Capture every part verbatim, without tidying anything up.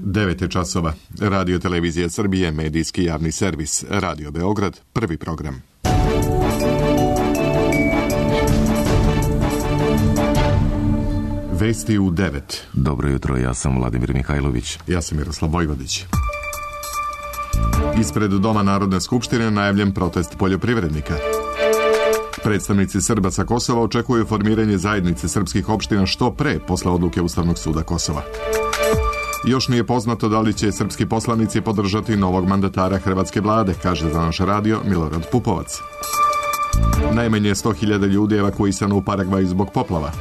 devet je časova. Radio Televizija Srbije, medijski javni servis. Radio Beograd, prvi program. Vesti u devet. Dobro jutro, ja sam Vladimir Mihajlović. Ja sam Miroslav Vojvodić. Ispred Doma Narodne skupštine najavljen protest poljoprivrednika. Predstavnici Srba sa Kosova očekuju formiranje zajednice srpskih opština što pre posle odluke Ustavnog suda Kosova. Još nije poznato da li će srpski poslanici podržati novog mandatara hrvatske vlade, kaže za naš radio Milorad Pupovac. Najmanje sto hiljada ljudi evakuisano u Paragvaju zbog poplava.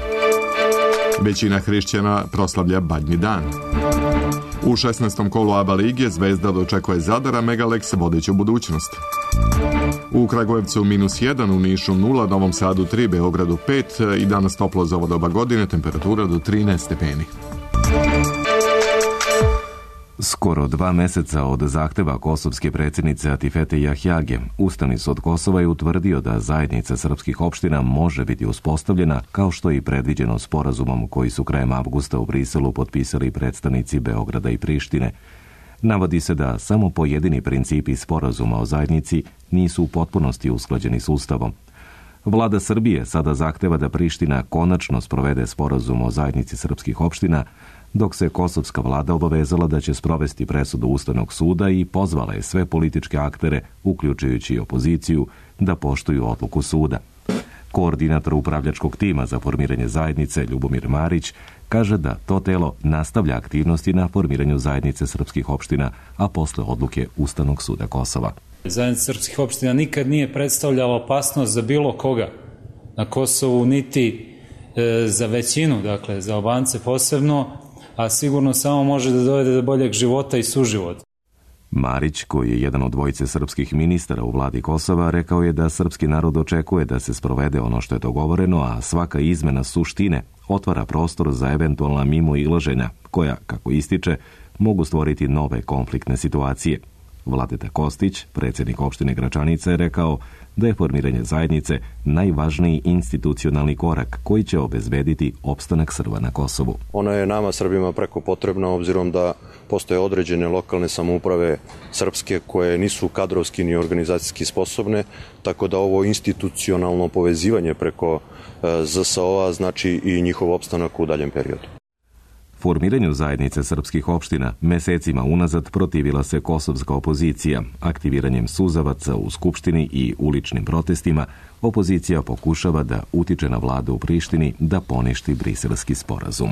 Većina hrišćana proslavlja Badnji dan. U šesnaestom kolu A B A lige Zvezda dočekuje Zadar, a Megalex vodeću budućnost. U Kragujevcu minus jedan, u Nišu nula, Novom Sadu tri, Beogradu pet i danas toplo za ovo doba godine, temperatura do trinaest stepeni. Skoro dva meseca od zahteva kosovske predsjednice Atifete Jahjage, Ustavni sud Kosova je utvrdio da zajednica srpskih opština može biti uspostavljena, kao što je i predviđeno sporazumom koji su krajem avgusta u Briselu potpisali predstavnici Beograda i Prištine. Navodi se da samo pojedini principi sporazuma o zajednici nisu u potpunosti usklađeni s Ustavom. Vlada Srbije sada zahteva da Priština konačno sprovede sporazum o zajednici srpskih opština, dok se kosovska vlada obavezala da će sprovesti presudu Ustavnog suda i pozvala je sve političke aktere, uključujući i opoziciju, da poštuju odluku suda. Koordinator upravljačkog tima za formiranje zajednice, Ljubomir Marić, kaže da to telo nastavlja aktivnosti na formiranju zajednice srpskih opština, a posle odluke Ustavnog suda Kosova. Zajednica srpskih opština nikad nije predstavljala opasnost za bilo koga na Kosovu, niti e, za većinu, dakle za Albance posebno, a sigurno samo može da dovede do boljeg života i suživota. Marić, koji je jedan od dvojice srpskih ministara u vladi Kosova, rekao je da srpski narod očekuje da se sprovede ono što je dogovoreno, a svaka izmena suštine otvara prostor za eventualna mimoilaženja, koja, kako ističe, mogu stvoriti nove konfliktne situacije. Vladeta Kostić, predsjednik opštine Gračanica, je rekao da je formiranje zajednice najvažniji institucionalni korak koji će obezbediti opstanak Srba na Kosovu. Ona je nama Srbima preko potrebna, obzirom da postoje određene lokalne samouprave srpske koje nisu kadrovski ni organizacijski sposobne, tako da ovo institucionalno povezivanje preko Z S O-a znači i njihov opstanak u daljem periodu. Formiranju zajednice srpskih opština mesecima unazad protivila se kosovska opozicija. Aktiviranjem suzavaca u Skupštini i uličnim protestima, opozicija pokušava da utiče na vladu u Prištini da poništi briselski sporazum.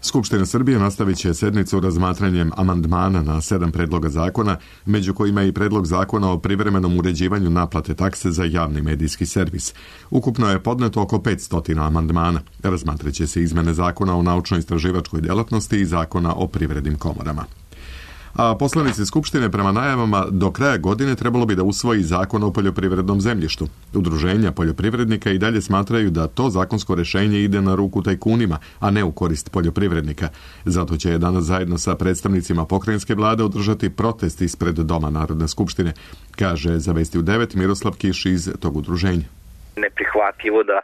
Skupština Srbije nastavit će sednicu razmatranjem amandmana na sedam predloga zakona, među kojima je i predlog zakona o privremenom uređivanju naplate takse za javni medijski servis. Ukupno je podneto oko petsto amandmana. Razmatraće se izmene zakona o naučno-istraživačkoj djelatnosti i zakona o privrednim komorama. A poslanici Skupštine prema najavama do kraja godine trebalo bi da usvoji zakon o poljoprivrednom zemljištu. Udruženja poljoprivrednika i dalje smatraju da to zakonsko rešenje ide na ruku tajkunima, a ne u korist poljoprivrednika. Zato će danas zajedno sa predstavnicima pokrajinske vlade održati protest ispred Doma Narodne skupštine, kaže za Vesti u devet Miroslav Kiš iz tog udruženja. Neprihvatljivo da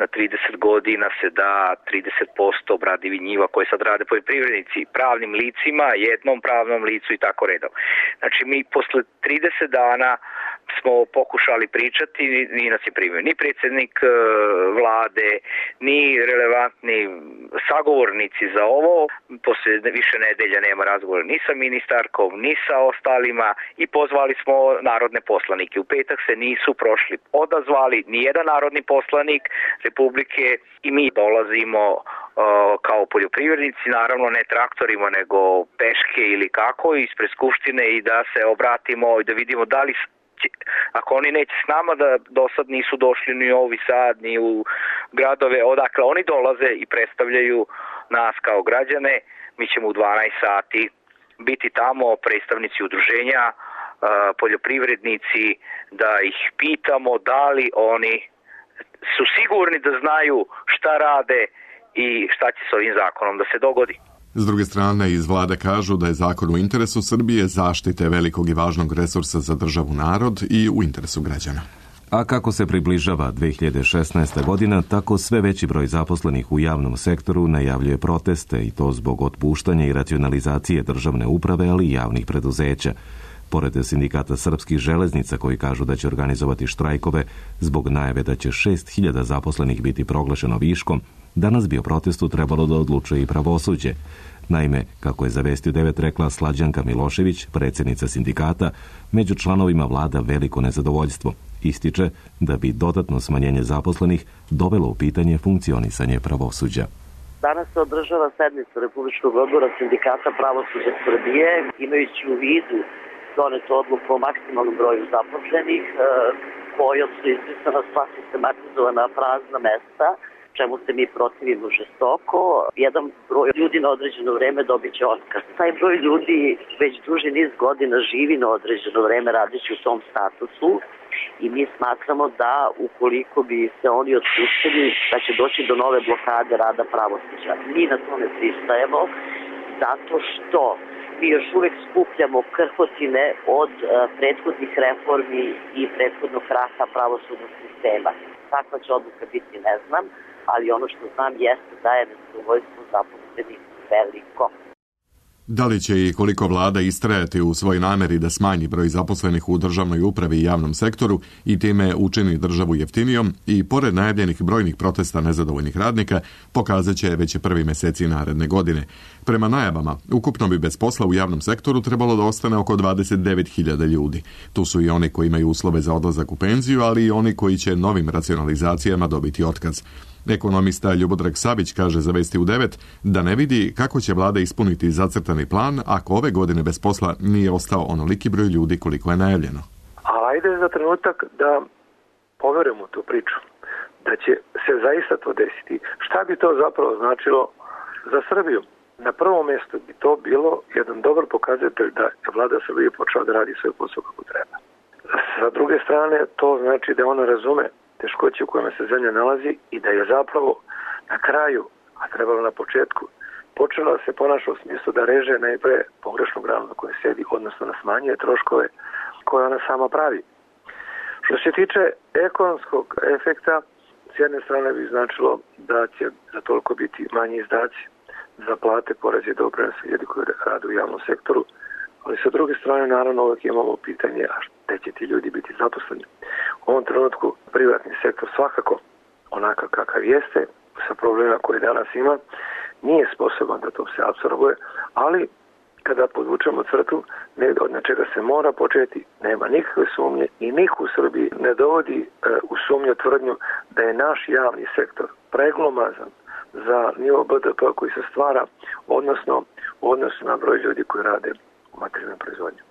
na trideset godina se da trideset posto obradivih njiva koje sad rade poljoprivrednici pravnim licima, jednom pravnom licu i tako redom. Znači mi posle trideset dana smo pokušali pričati, ni nas je primio ni predsjednik e, vlade, ni relevantni sagovornici za ovo. Posle više nedelja nema razgovora ni sa ministarkom, ni sa ostalima i pozvali smo narodne poslanike. U petak se nisu prošli odazvali ni jedan narodni poslanik Republike i mi dolazimo uh, kao poljoprivrednici, naravno ne traktorima nego peške ili kako, ispred Skupštine i da se obratimo i da vidimo da li ako oni neće s nama, da do sad nisu došli ni u Novi Sad, ni u gradove odakle oni dolaze i predstavljaju nas kao građane, mi ćemo u dvanaest sati biti tamo, predstavnici udruženja, poljoprivrednici, da ih pitamo da li oni su sigurni da znaju šta rade i šta će s ovim zakonom da se dogodi. S druge strane, iz vlade kažu da je zakon u interesu Srbije, zaštite velikog i važnog resursa za državu narod i u interesu građana. A kako se približava dve hiljade šesnaesta. godina, tako sve veći broj zaposlenih u javnom sektoru najavljuje proteste i to zbog otpuštanja i racionalizacije državne uprave, ali i javnih preduzeća. Pored sindikata srpskih železnica koji kažu da će organizovati štrajkove zbog najave da će šest hiljada zaposlenih biti proglašeno viškom, danas bi o protestu trebalo da odlučuje i pravosuđe. Naime, kako je za Vesti u devet rekla Slađanka Milošević, predsjednica sindikata, među članovima vlada veliko nezadovoljstvo. Ističe da bi dodatno smanjenje zaposlenih dovelo u pitanje funkcionisanje pravosuđa. Danas se održava sednica Republičkog odbora sindikata pravosuđa Srbije, imajući u vidu donetu odluku o maksimalnom broju zaposlenih, kojom su izbrisana sva sistematizovana prazna mesta, čemu se mi protivimo žestoko. Jedan broj ljudi na određeno vreme dobit će otkaz. Taj broj ljudi već duži niz godina živi na određeno vreme radeći u tom statusu i mi smatramo da ukoliko bi se oni otpustili da će doći do nove blokade rada pravosuđa. Mi na to ne pristajemo zato što mi još uvek skupljamo krhotine od uh, prethodnih reformi i prethodnog kraha pravosudnog sistema. Kakva će odluka biti, ne znam, ali ono što znam jeste da je nezadovoljstvo zaposlenih veliko. Da li će i koliko vlada istrajati u svoj nameri da smanji broj zaposlenih u državnoj upravi i javnom sektoru i time učini državu jeftinijom i pored najavljenih brojnih protesta nezadovoljnih radnika pokazat će već prvi meseci naredne godine. Prema najavama, ukupno bi bez posla u javnom sektoru trebalo da ostane oko dvadeset devet hiljada ljudi. Tu su i oni koji imaju uslove za odlazak u penziju, ali i oni koji će novim racionalizacijama dobiti otkaz. Ekonomista Ljubodrag Savić kaže za Vesti u devet da ne vidi kako će vlada ispuniti zacrtani plan ako ove godine bez posla nije ostao onoliki broj ljudi koliko je najavljeno. A ajde za trenutak da poverujemo tu priču, da će se zaista to desiti. Šta bi to zapravo značilo za Srbiju? Na prvom mjestu bi to bilo jedan dobar pokazatelj da je vlada Srbije počela da radi svoj posao kako treba. Sa druge strane, to znači da ona razume teškoće u kojima se zemlja nalazi i da je zapravo na kraju, a trebalo na početku, počela da se ponaša u smislu da reže najpre pogrešnu granu na kojoj sedi, odnosno da smanjuje troškove koje ona sama pravi. Što se tiče ekonomskog efekta, s jedne strane bi značilo da će za toliko biti manji izdaci za plate, poreze i doprinose ljudi koji rade u javnom sektoru, ali sa druge strane, naravno, uvijek imamo pitanje, a gde će ti ljudi biti zaposleni? U ovom trenutku privatni sektor svakako, onakav kakav jeste, sa problema koje danas ima, nije sposoban da to se apsorbuje, ali kada podvučemo crtu, od nečega se mora početi, nema nikakve sumnje i niko u Srbiji ne dovodi e, u sumnju tvrdnju da je naš javni sektor preglomazan za nivo B D P koji se stvara, odnosno u odnosu na broj ljudi koji rade u materijalnoj proizvodnji.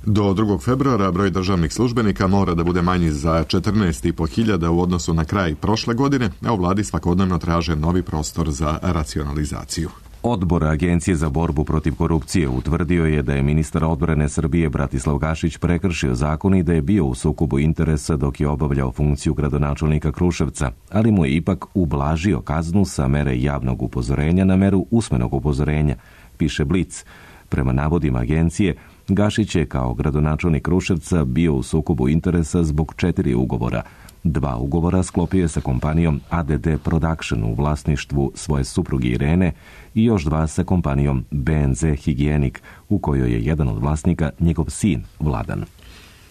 Do drugog februara broj državnih službenika mora da bude manji za četrnaest i po hiljada u odnosu na kraj prošle godine, a u vladi svakodnevno traže novi prostor za racionalizaciju. Odbor Agencije za borbu protiv korupcije utvrdio je da je ministar odbrane Srbije Bratislav Gašić prekršio zakon i da je bio u sukobu interesa dok je obavljao funkciju gradonačelnika Kruševca, ali mu je ipak ublažio kaznu sa mere javnog upozorenja na meru usmenog upozorenja, piše Blic. Prema navodima agencije, Gašić je kao gradonačelnik Kruševca bio u sukobu interesa zbog četiri ugovora. Dva ugovora sklopio je sa kompanijom A D D Production u vlasništvu svoje supruge Irene i još dva sa kompanijom B N Z Higienik, u kojoj je jedan od vlasnika njegov sin Vladan.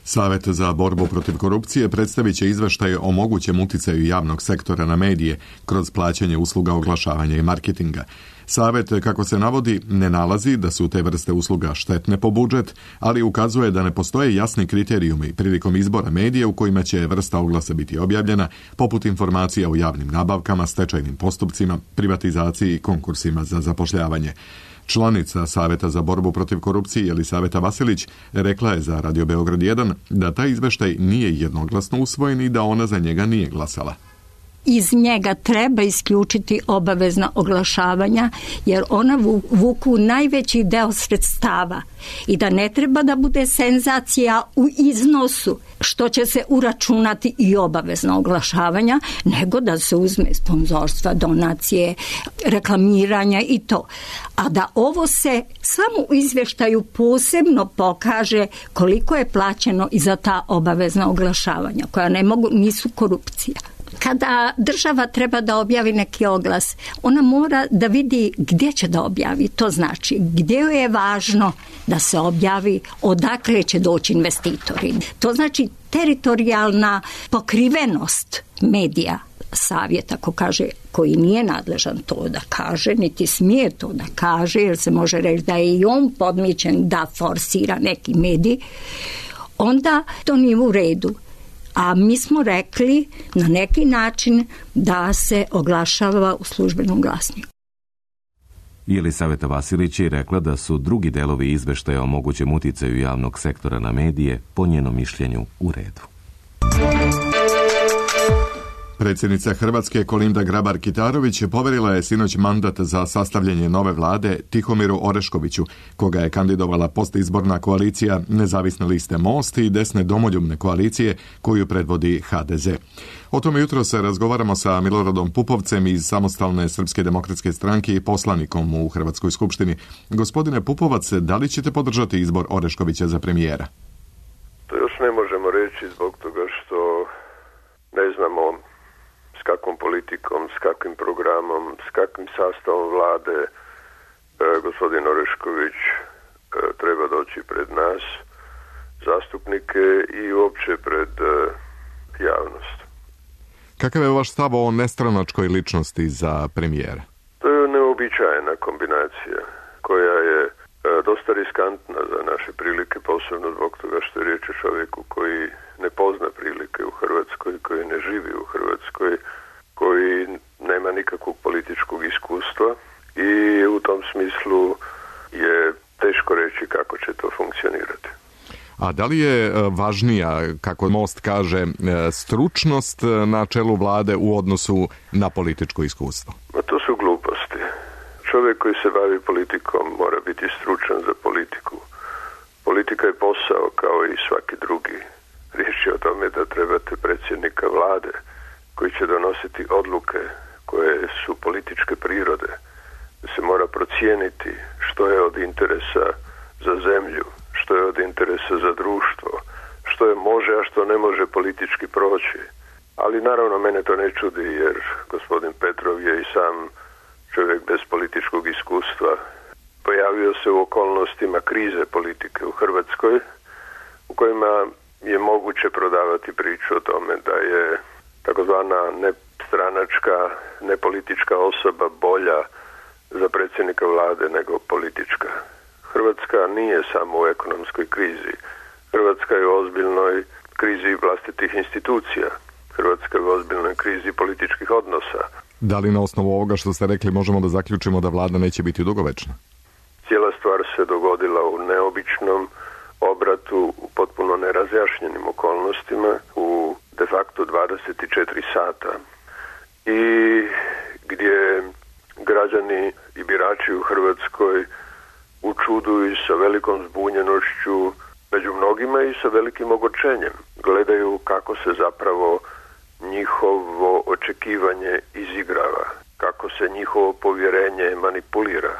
Savet za borbu protiv korupcije predstavit će izveštaj o mogućem uticaju javnog sektora na medije kroz plaćanje usluga oglašavanja i marketinga. Savet, kako se navodi, ne nalazi da su te vrste usluga štetne po budžet, ali ukazuje da ne postoje jasni kriterijumi prilikom izbora medija u kojima će vrsta oglasa biti objavljena, poput informacija o javnim nabavkama, stečajnim postupcima, privatizaciji i konkursima za zapošljavanje. Članica Saveta za borbu protiv korupcije Jelisaveta Vasilić rekla je za Radio Beograd jedan da taj izveštaj nije jednoglasno usvojen i da ona za njega nije glasala. iz njega treba isključiti obavezna oglašavanja, jer ona vuku najveći deo sredstava i da ne treba da bude senzacija u iznosu što će se uračunati i obavezna oglašavanja, nego da se uzme sponzorstva, donacije, reklamiranja i to. A da ovo se samo u izvještaju posebno pokaže koliko je plaćeno i za ta obavezna oglašavanja, koja ne mogu, nisu korupcija. Kada država treba da objavi neki oglas, ona mora da vidi gdje će da objavi. To znači gdje je važno da se objavi, odakle će doći investitori. To znači teritorijalna pokrivenost medija. Savjet, ako kaže, koji nije nadležan to da kaže, niti smije to da kaže, jer se može reći da je i on podmićen da forsira neki medij, onda to nije u redu. A mi smo rekli na neki način da se oglašava u službenom glasniku. Jelisaveta Vasilić je rekla da su drugi delovi izveštaja o mogućem uticaju javnog sektora na medije, po njenom mišljenju, u redu. Predsjednica Hrvatske Kolinda Grabar-Kitarović poverila je sinoć mandat za sastavljanje nove vlade Tihomiru Oreškoviću, koga je kandidovala postizborna koalicija Nezavisne liste Most i desne domoljubne koalicije koju predvodi ha de ze. O tome jutro se razgovaramo sa Miloradom Pupovcem iz Samostalne Srpske demokratske stranke i poslanikom u Hrvatskoj skupštini. Gospodine Pupovac, da li ćete podržati izbor Oreškovića za premijera? To još ne možemo reći zbog toga što ne znamo s kakvom politikom, s kakvim programom, s kakvim sastavom vlade e, gospodin Orešković e, treba doći pred nas, zastupnike i uopće pred e, javnost. Kakav je vaš stav o nestranačkoj ličnosti za premijera? To je neobičajna kombinacija koja je e, dosta riskantna za naše prilike, posebno zbog toga što je riječ o čovjeku koji ne pozna prilike u Hrvatskoj, koji ne živi u Hrvatskoj, koji nema nikakvog političkog iskustva i u tom smislu je teško reći kako će to funkcionirati. A da li je važnija, kako Most kaže, stručnost na čelu vlade u odnosu na političko iskustvo? Ma to su gluposti. Čovjek koji se bavi politikom mora biti stručan za politiku. Politika je posao kao i svaki drugi. Riječ je o tome da trebate predsjednika vlade koji će donositi odluke koje su političke prirode, da se mora procijeniti što je od interesa za zemlju, što je od interesa za društvo, što je može, a što ne može politički proći. Ali naravno mene to ne čudi jer gospodin Petrov je i sam čovjek bez političkog iskustva. Pojavio se u okolnostima krize politike u Hrvatskoj u kojima je moguće prodavati priču o tome da je takozvana nestranačka, nepolitička osoba bolja za predsjednika vlade nego politička. Hrvatska nije samo u ekonomskoj krizi. Hrvatska je u ozbiljnoj krizi vlastitih institucija. Hrvatska je u ozbiljnoj krizi političkih odnosa. Da li na osnovu ovoga što ste rekli možemo da zaključimo da vlada neće biti dugovečna? Cijela stvar se dogodila u neobičnom obratu, u potpuno nerazjašnjenim okolnostima, u de facto dvadeset četiri sata i gdje građani i birači u Hrvatskoj u čudu i sa velikom zbunjenošću, među mnogima i sa velikim ogorčenjem, gledaju kako se zapravo njihovo očekivanje izigrava, kako se njihovo povjerenje manipulira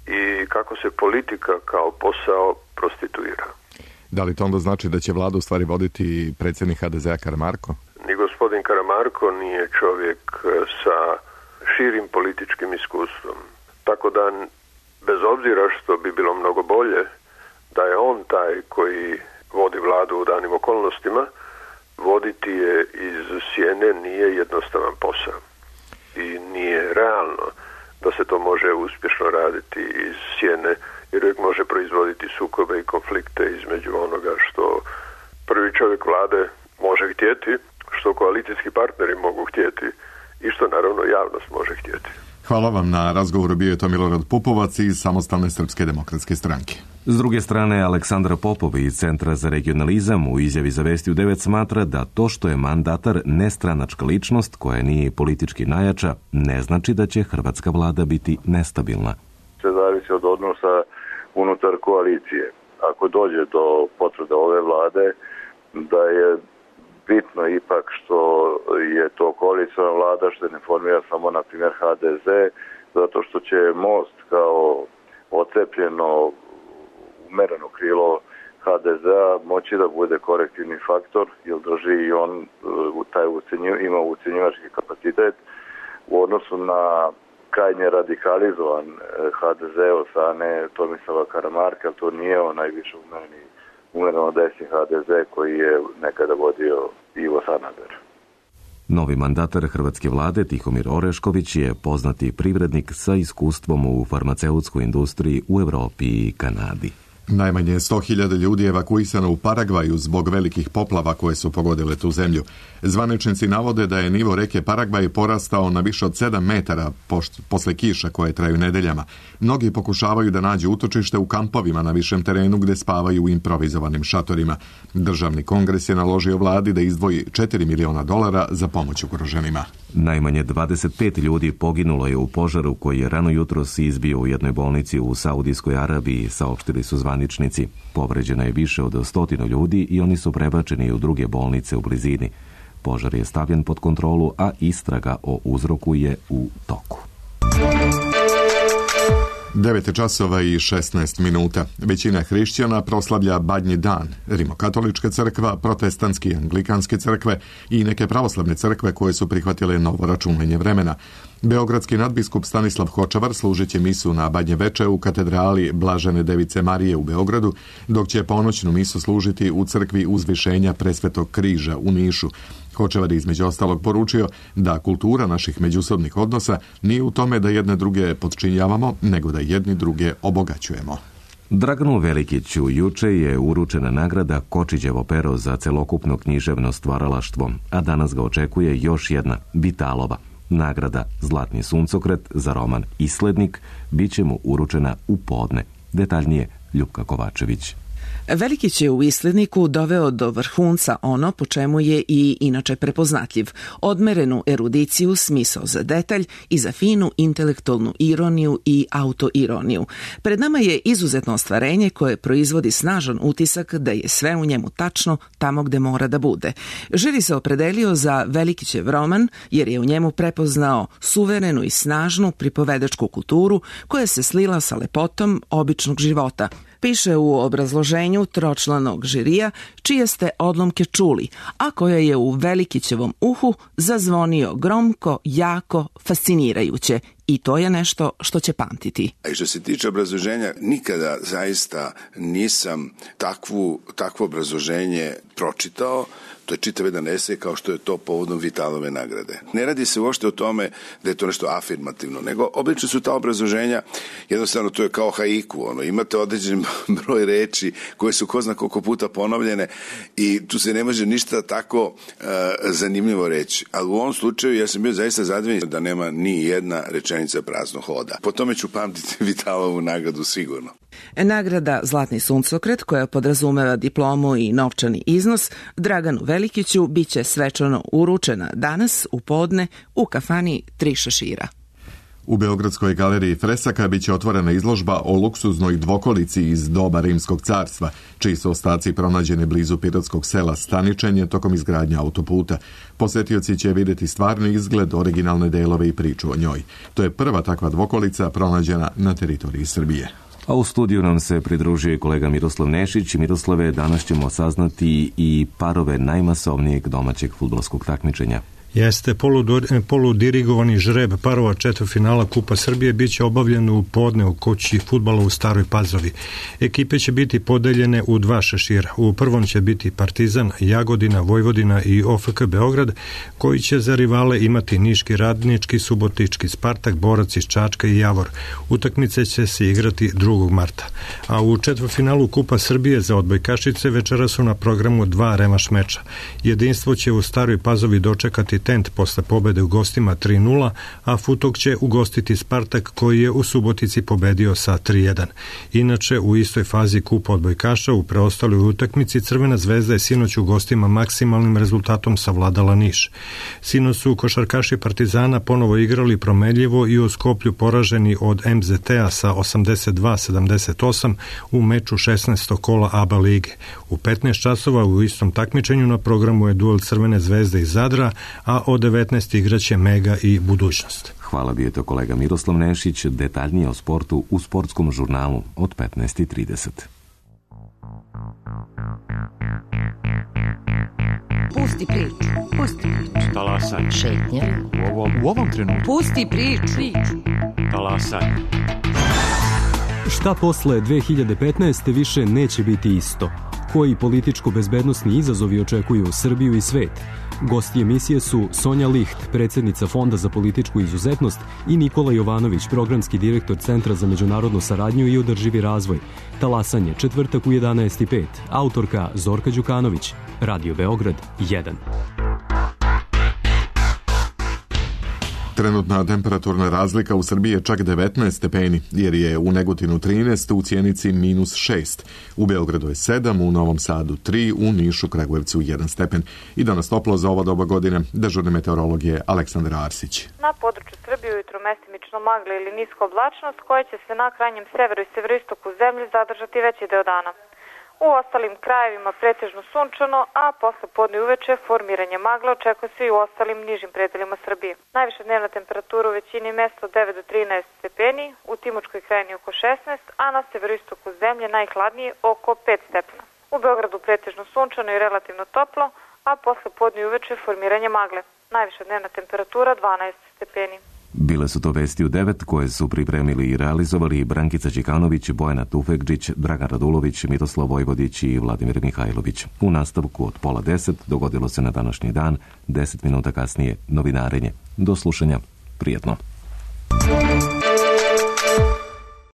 i kako se politika kao posao prostituira. Da li to onda znači da će vladu u stvari voditi predsjednik ha de zea Karamarko? Ni gospodin Karamarko nije čovjek sa širim političkim iskustvom. Tako da, bez obzira što bi bilo mnogo bolje da je on taj koji vodi vladu u danim okolnostima, voditi je iz sjene nije jednostavan posao. I nije realno da se to može uspješno raditi iz sjene, jer uvijek može proizvoditi sukobe i konflikte između onoga što prvi čovjek vlade može htjeti, što koalicijski partneri mogu htjeti i što naravno javnost može htjeti. Hvala vam na razgovoru, bio je to Milorad Pupovac iz Samostalne Srpske demokratske stranke. S druge strane, Aleksandar Popov iz Centra za regionalizam u izjavi za Vesti u devet smatra da to što je mandatar nestranačka ličnost koja nije politički najjača ne znači da će hrvatska vlada biti nestabilna. Se zavisi od odnosa unutar koalicije. Ako dođe do potvrde ove vlade, da je bitno ipak što je to koaliciona vlada, što je ne formira samo, na primjer, ha de ze, zato što će Most kao ocepljeno umereno krilo ha de zea moći da bude korektivni faktor, jer drži i on taj ucenju, ima ucenjivački kapacitet u odnosu na krajnje radikalizovan ha de ze od strane Tomislava Karamarka. To nije on najviše umereni, umereno desni ha de ze koji je nekada vodio Ivo Sanader. Novi mandatar hrvatske vlade Tihomir Orešković je poznati privrednik sa iskustvom u farmaceutskoj industriji u Europi i Kanadi. Najmanje sto hiljada ljudi evakuisano u Paragvaju zbog velikih poplava koje su pogodile tu zemlju. Zvaničnici navode da je nivo reke Paragvaj porastao na više od sedam metara posle kiša koje traju nedeljama. Mnogi pokušavaju da nađu utočište u kampovima na višem terenu gde spavaju u improvizovanim šatorima. Državni kongres je naložio vladi da izdvoji četiri miliona dolara za pomoć ugroženima. Najmanje dvadeset pet ljudi poginulo je u požaru koji je rano jutros izbio u jednoj bolnici u Saudijskoj Arabiji, saopštili su zvaničnici. Povređeno je više od stotinu ljudi i oni su prebačeni u druge bolnice u blizini. Požar je stavljen pod kontrolu, a istraga o uzroku je u toku. devet časova i šesnaest minuta. Većina hrišćana proslavlja Badnji dan. Rimokatolička crkva, protestantski i anglikanske crkve i neke pravoslavne crkve koje su prihvatile novo računanje vremena. Beogradski nadbiskup Stanislav Hočevar služit će misu na Badnje veče u katedrali Blažene Device Marije u Beogradu, dok će ponoćnu misu služiti u crkvi Uzvišenja Presvetog križa u Nišu. Hočevar je između ostalog poručio da kultura naših međusobnih odnosa nije u tome da jedne druge podčinjavamo, nego da jedni druge obogaćujemo. Draganu Velikiću juče je uručena nagrada Kočiđevo pero za celokupno književno stvaralaštvo, a danas ga očekuje još jedna, Vitalova. Nagrada Zlatni suncokret za roman Islednik bit će mu uručena u podne. Detaljnije Ljupka Kovačević. Velikić je u Isledniku doveo do vrhunca ono po čemu je i inače prepoznatljiv, odmerenu erudiciju, smisao za detalj i za finu intelektualnu ironiju i autoironiju. Pred nama je izuzetno ostvarenje koje proizvodi snažan utisak da je sve u njemu tačno tamo gde mora da bude. Žiri se opredelio za Velikićev roman jer je u njemu prepoznao suverenu i snažnu pripovedačku kulturu koja se slila sa lepotom običnog života. Piše u obrazloženju tročlanog žirija čije ste odlomke čuli, a koja je u Velikićevom uhu zazvonio gromko, jako, fascinirajuće. I to je nešto što će pamtiti. A što se tiče obrazloženja, nikada zaista nisam takvu, takvo obrazloženje pročitao. To je čitav jedan esej kao što je to povodom Vitalove nagrade. Ne radi se uopšte o tome da je to nešto afirmativno, nego obično su ta obrazloženja, jednostavno to je kao haiku, ono, imate određen broj reči koje su ko zna koliko puta ponovljene i tu se ne može ništa tako uh, zanimljivo reći. Ali u ovom slučaju ja sam bio zaista zadovoljan da nema ni jedna rečenica praznog hoda. Po tome ću pamtiti Vitalovu nagradu sigurno. Nagrada Zlatni suncokret, koja podrazumeva diplomu i novčani iznos, Draganu Velikiću biće svečano uručena danas u podne u kafani Tri šešira. U Beogradskoj galeriji Fresaka biće otvorena izložba o luksuznoj dvokolici iz doba Rimskog carstva, čiji su ostaci pronađeni blizu pirotskog sela Staničenje tokom izgradnje autoputa. Posetioci će vidjeti stvarni izgled, originalne delove i priču o njoj. To je prva takva dvokolica pronađena na teritoriji Srbije. A u studiju nam se pridružio kolega Miroslav Nešić. Miroslave, danas ćemo saznati i parove najmasovnijeg domaćeg fudbalskog takmičenja. Jeste, poludirigovani žreb parova četvrtfinala Kupa Srbije biće obavljen u podne u kući fudbala u Staroj Pazovi. Ekipe će biti podeljene u dva šešira. U prvom će biti Partizan, Jagodina, Vojvodina i O F K Beograd, koji će za rivale imati Niški Radnički, Subotički Spartak, Borac iz Čačka i Javor. Utakmice će se igrati drugog marta. A u četvrtfinalu Kupa Srbije za odbojkašice večera su na programu dva remaš meča. Jedinstvo će u Staroj Pazovi dočekati Tent posle pobede u gostima tri nula, a Futok će ugostiti Spartak koji je u Subotici pobedio sa tri jedan. Inače, u istoj fazi kupa odbojkaša u preostaloj utakmici Crvena zvezda je sinoć u gostima maksimalnim rezultatom savladala Niš. Sinoć su košarkaši Partizana ponovo igrali promenljivo i u Skoplju poraženi od M Z T-a sa osamdeset dva sedamdeset osam u meču šesnaestog kola A B A lige. U petnaest časova u istom takmičenju na programu je duel Crvene zvezde iz Zadra, a od devetnaest igraće Mega i Budućnost. Hvala, bio je to kolega Miroslav Nešić, detaljnije o sportu u sportskom žurnalu od petnaest i trideset. Pusti priču, pusti priču. Talasaj. Šetnja. U ovom, u ovom trenutku. Pusti priču. Talasaj. Šta posle dve hiljade petnaeste. više neće biti isto? Koji političko-bezbednosni izazovi očekuju Srbiju i svet? Gosti emisije su Sonja Licht, predsjednica Fonda za političku izuzetnost, i Nikola Jovanović, programski direktor Centra za međunarodnu saradnju i održivi razvoj. Talasanje, četvrtak u jedanaest i pet. Autorka Zorka Đukanović. Radio Beograd jedan. Trenutna temperaturna razlika u Srbiji je čak devetnaest stepeni, jer je u Negotinu trinaest, u Sjenici minus šest. U Beogradu je sedam, u Novom Sadu tri, u Nišu, Kragujevcu jedan stepen. I danas toplo za ova doba godine. Dežurni meteorolog je Aleksandar Arsić. Na području Srbije ujutro mestimično magla ili niska oblačnost koja će se na krajnjem severu i severoistoku zemlje zadržati veći deo dana. U ostalim krajevima pretežno sunčano, a posle podne uveče formiranje magle očekuje se i u ostalim nižim predelima Srbije. Najviša dnevna temperatura u većini mesta od devet do trinaest stepeni, u Timočkoj krajini oko šesnaest, a na severoistoku zemlje najhladnije oko pet stepena. U Beogradu pretežno sunčano i relativno toplo, a posle podne uveče formiranje magle. Najviša dnevna temperatura dvanaest stepeni. Bile su to vesti u devet koje su pripremili i realizovali Brankica Đikanović, Bojana Tufekđić, Dragan Radulović, Miroslav Vojvodić i Vladimir Mihajlović. U nastavku od pola deset dogodilo se na današnji dan, deset minuta kasnije novinarenje. Do slušanja, prijetno.